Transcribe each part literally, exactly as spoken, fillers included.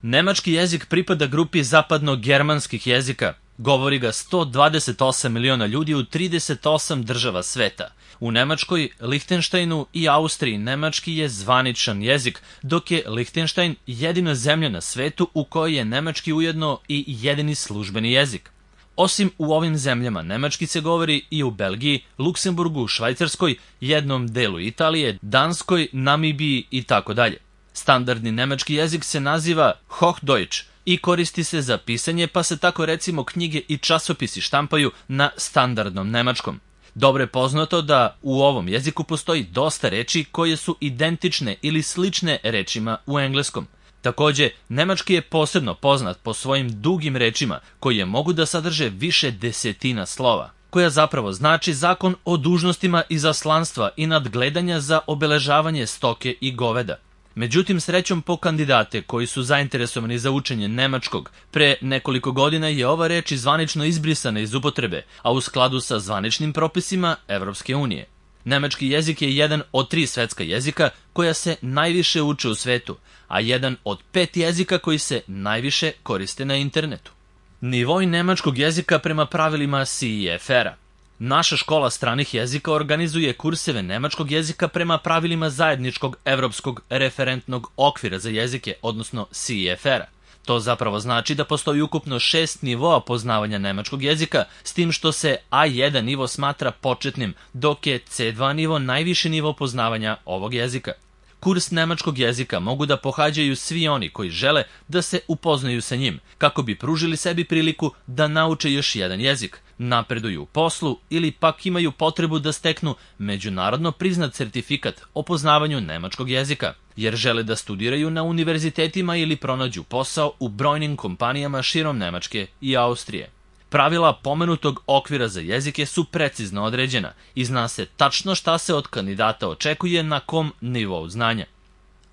Nemački jezik pripada grupi zapadno-germanskih jezika. Govori ga sto dvadeset osam miliona ljudi u trideset osam država sveta. U Nemačkoj, Lihtenštajnu i Austriji nemački je zvaničan jezik, dok je Lihtenštajn jedina zemlja na svetu u kojoj je nemački ujedno i jedini službeni jezik. Osim u ovim zemljama, nemački se govori i u Belgiji, Luksemburgu, Švajcarskoj, jednom delu Italije, Danskoj, Namibiji i tako dalje. Standardni nemački jezik se naziva Hochdeutsch i koristi se za pisanje, pa se tako recimo knjige i časopisi štampaju na standardnom nemačkom. Dobro je poznato da u ovom jeziku postoji dosta reči koje su identične ili slične rečima u engleskom. Takođe, nemački je posebno poznat po svojim dugim rečima koje mogu da sadrže više desetina slova, koja zapravo znači zakon o dužnostima izaslanstva i nadgledanja za obeležavanje stoke i goveda. Međutim, srećom po kandidate koji su zainteresovani za učenje nemačkog, pre nekoliko godina je ova reč zvanično izbrisana iz upotrebe, a u skladu sa zvaničnim propisima Evropske unije. Nemački jezik je jedan od tri svetska jezika koja se najviše uče u svetu, a jedan od pet jezika koji se najviše koriste na internetu. Nivoi nemačkog jezika prema pravilima C E F R-a. Naša škola stranih jezika organizuje kurseve nemačkog jezika prema pravilima zajedničkog evropskog referentnog okvira za jezike, odnosno C E F R-a. To zapravo znači da postoji ukupno šest nivoa poznavanja nemačkog jezika, s tim što se A jedan nivo smatra početnim, dok je C dva nivo najviši nivo poznavanja ovog jezika. Kurs nemačkog jezika mogu da pohađaju svi oni koji žele da se upoznaju sa njim, kako bi pružili sebi priliku da nauče još jedan jezik, napreduju u poslu ili pak imaju potrebu da steknu međunarodno priznat sertifikat o poznavanju nemačkog jezika, jer žele da studiraju na univerzitetima ili pronađu posao u brojnim kompanijama širom Nemačke i Austrije. Pravila pomenutog okvira za jezike su precizno određena i zna se tačno šta se od kandidata očekuje na kom nivou znanja.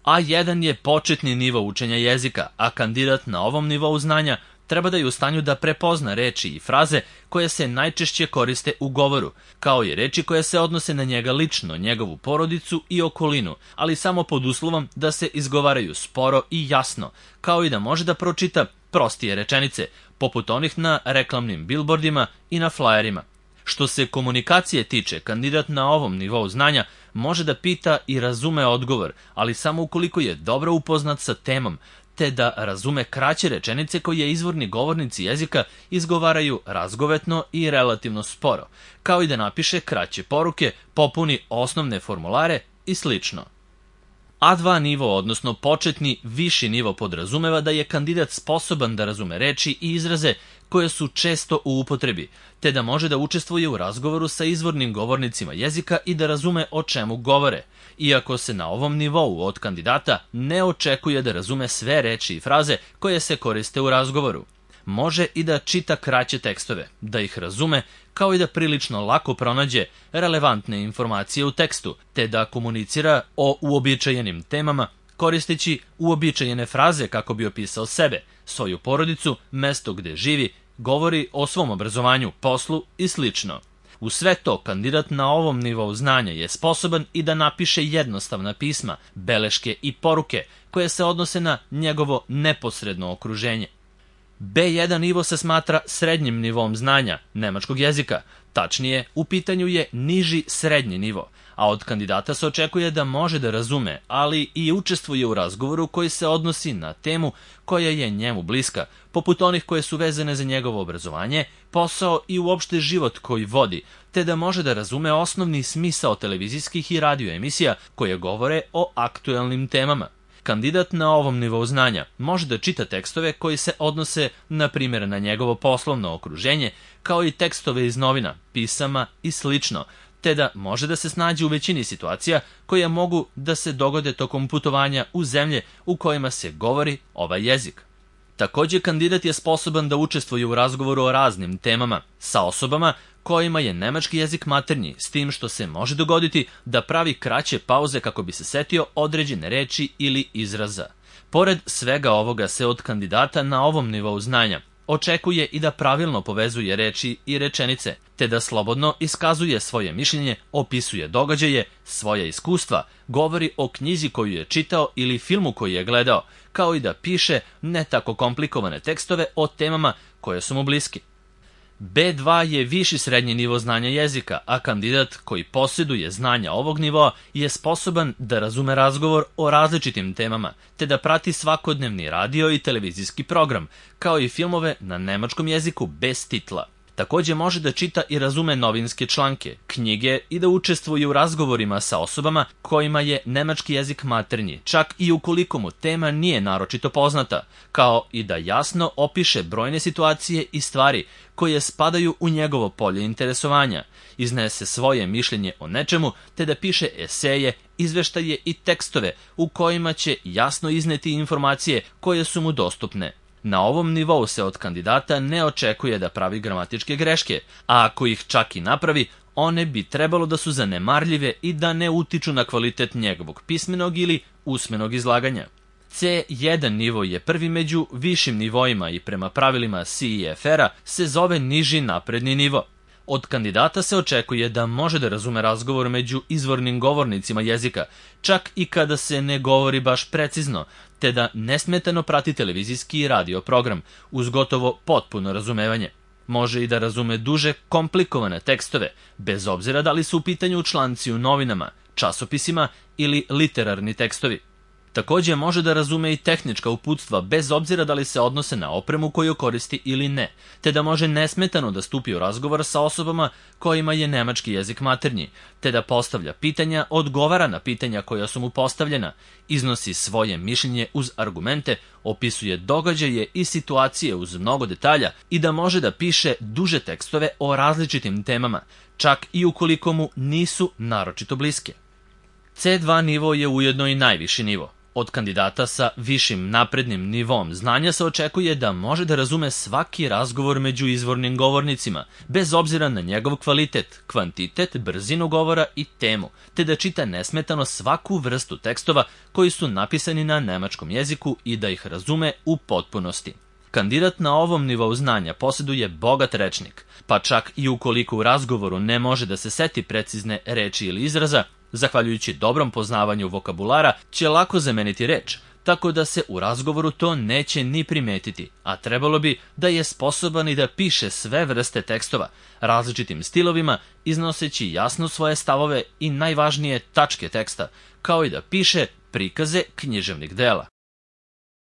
A jedan je početni nivo učenja jezika, a kandidat na ovom nivou znanja treba da je u stanju da prepozna reči i fraze koje se najčešće koriste u govoru, kao i reči koje se odnose na njega lično, njegovu porodicu i okolinu, ali samo pod uslovom da se izgovaraju sporo i jasno, kao i da može da pročita prostije rečenice, poput onih na reklamnim bilbordima i na flajerima. Što se komunikacije tiče, kandidat na ovom nivou znanja može da pita i razume odgovor, ali samo ukoliko je dobro upoznat sa temom, te da razume kraće rečenice koje izvorni govornici jezika izgovaraju razgovetno i relativno sporo, kao i da napiše kraće poruke, popuni osnovne formulare i slično. A dva nivo, odnosno početni viši nivo, podrazumeva da je kandidat sposoban da razume reči i izraze koje su često u upotrebi, te da može da učestvuje u razgovoru sa izvornim govornicima jezika i da razume o čemu govore, iako se na ovom nivou od kandidata ne očekuje da razume sve reči i fraze koje se koriste u razgovoru. Može i da čita kraće tekstove, da ih razume, kao i da prilično lako pronađe relevantne informacije u tekstu, te da komunicira o uobičajenim temama, koristeći uobičajene fraze kako bi opisao sebe, svoju porodicu, mesto gde živi, govori o svom obrazovanju, poslu i slično. U sve to, kandidat na ovom nivou znanja je sposoban i da napiše jednostavna pisma, beleške i poruke koje se odnose na njegovo neposredno okruženje. B jedan nivo se smatra srednjim nivom znanja nemačkog jezika, tačnije u pitanju je niži srednji nivo, a od kandidata se očekuje da može da razume, ali i učestvuje u razgovoru koji se odnosi na temu koja je njemu bliska, poput onih koje su vezane za njegovo obrazovanje, posao i uopšte život koji vodi, te da može da razume osnovni smisao televizijskih i radio emisija koje govore o aktuelnim temama. Kandidat na ovom nivou znanja može da čita tekstove koji se odnose, na primjer, na njegovo poslovno okruženje, kao i tekstove iz novina, pisama i slično, te da može da se snađe u većini situacija koje mogu da se dogode tokom putovanja u zemlje u kojima se govori ovaj jezik. Takođe, kandidat je sposoban da učestvuje u razgovoru o raznim temama sa osobama kojima je nemački jezik maternji, s tim što se može dogoditi da pravi kraće pauze kako bi se setio određene reči ili izraza. Pored svega ovoga se od kandidata na ovom nivou znanja očekuje i da pravilno povezuje reči i rečenice, te da slobodno iskazuje svoje mišljenje, opisuje događaje, svoja iskustva, govori o knjizi koju je čitao ili filmu koji je gledao, kao i da piše ne tako komplikovane tekstove o temama koje su mu bliski. be dva je viši srednji nivo znanja jezika, a kandidat koji posjeduje znanja ovog nivoa je sposoban da razume razgovor o različitim temama, te da prati svakodnevni radio i televizijski program, kao i filmove na nemačkom jeziku bez titla. Takođe može da čita i razume novinske članke, knjige i da učestvuje u razgovorima sa osobama kojima je nemački jezik maternji, čak i ukoliko mu tema nije naročito poznata, kao i da jasno opiše brojne situacije i stvari koje spadaju u njegovo polje interesovanja, iznese svoje mišljenje o nečemu, te da piše eseje, izveštaje i tekstove u kojima će jasno izneti informacije koje su mu dostupne. Na ovom nivou se od kandidata ne očekuje da pravi gramatičke greške, a ako ih čak i napravi, one bi trebalo da su zanemarljive i da ne utiču na kvalitet njegovog pismenog ili usmenog izlaganja. ce jedan nivo je prvi među višim nivoima i prema pravilima C I F R-a se zove niži napredni nivo. Od kandidata se očekuje da može da razume razgovor među izvornim govornicima jezika, čak i kada se ne govori baš precizno, te da nesmetano prati televizijski i radio program, uz gotovo potpuno razumevanje. Može i da razume duže, komplikovane tekstove, bez obzira da li su u pitanju članci u novinama, časopisima ili literarni tekstovi. Takođe može da razume i tehnička uputstva bez obzira da li se odnose na opremu koju koristi ili ne, te da može nesmetano da stupi u razgovor sa osobama kojima je nemački jezik maternji, te da postavlja pitanja, odgovara na pitanja koja su mu postavljena, iznosi svoje mišljenje uz argumente, opisuje događaje i situacije uz mnogo detalja i da može da piše duže tekstove o različitim temama, čak i ukoliko mu nisu naročito bliske. ce dva nivo je ujedno i najviši nivo. Od kandidata sa višim naprednim nivom znanja se očekuje da može da razume svaki razgovor među izvornim govornicima, bez obzira na njegov kvalitet, kvantitet, brzinu govora i temu, te da čita nesmetano svaku vrstu tekstova koji su napisani na nemačkom jeziku i da ih razume u potpunosti. Kandidat na ovom nivou znanja posjeduje bogat rečnik, pa čak i ukoliko u razgovoru ne može da se seti precizne reči ili izraza, zahvaljujući dobrom poznavanju vokabulara, će lako zameniti reč, tako da se u razgovoru to neće ni primetiti, a trebalo bi da je sposoban i da piše sve vrste tekstova, različitim stilovima, iznoseći jasno svoje stavove i najvažnije tačke teksta, kao i da piše prikaze književnih dela.